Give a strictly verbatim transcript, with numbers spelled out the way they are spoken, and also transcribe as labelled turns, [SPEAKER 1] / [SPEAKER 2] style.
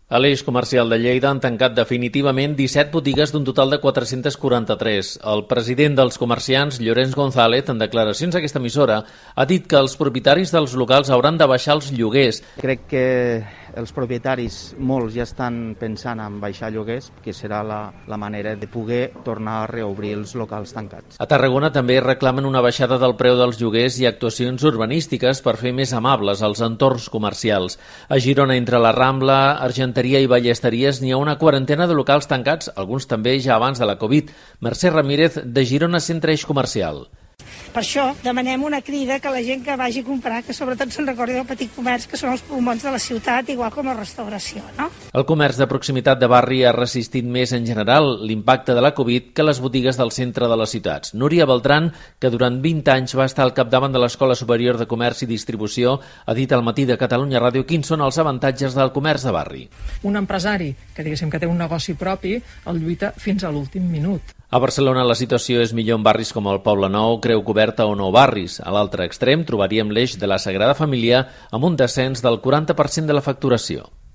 [SPEAKER 1] A l'eix comercial de Lleida han tancat definitivament disset botigues d'un total de quatre-cents quaranta-tres. El president dels comerciants, Llorenç González, en declaracions a aquesta emissora, ha dit que els propietaris dels locals hauran de baixar els lloguers.
[SPEAKER 2] Crec que els propietaris, molts, ja estan pensant en baixar lloguers, que serà la, la manera de poder tornar a reobrir els locals tancats.
[SPEAKER 1] A Tarragona també reclamen una baixada del preu dels lloguers i actuacions urbanístiques per fer més amables els entorns comercials. A Girona, entre la Rambla, Argenteria i Ballesteries, n'hi ha una quarantena de locals tancats, alguns també ja abans de la Covid. Mercè Ramírez, de Girona Centre Eix Comercial.
[SPEAKER 3] Per això demanem una crida que la gent que vagi a comprar, que sobretot se'n recordi del petit comerç, que són els pulmons de la ciutat, igual com la restauració, no?
[SPEAKER 1] El comerç de proximitat de barri ha resistit més en general l'impacte de la Covid que les botigues del centre de les ciutats. Núria Beltran, que durant vint anys va estar al capdavant de l'Escola Superior de Comerç i Distribució, ha dit al Matí de Catalunya Ràdio quins són els avantatges del comerç de barri.
[SPEAKER 4] Un empresari que diguéssim que té un negoci propi el lluita fins a l'últim minut.
[SPEAKER 1] A Barcelona la situació és millor en barris com el Poble Nou, Creu Coberta o Nou Barris. A l'altre extrem trobaríem l'eix de la Sagrada Família amb un descens del quaranta per cent de la facturació.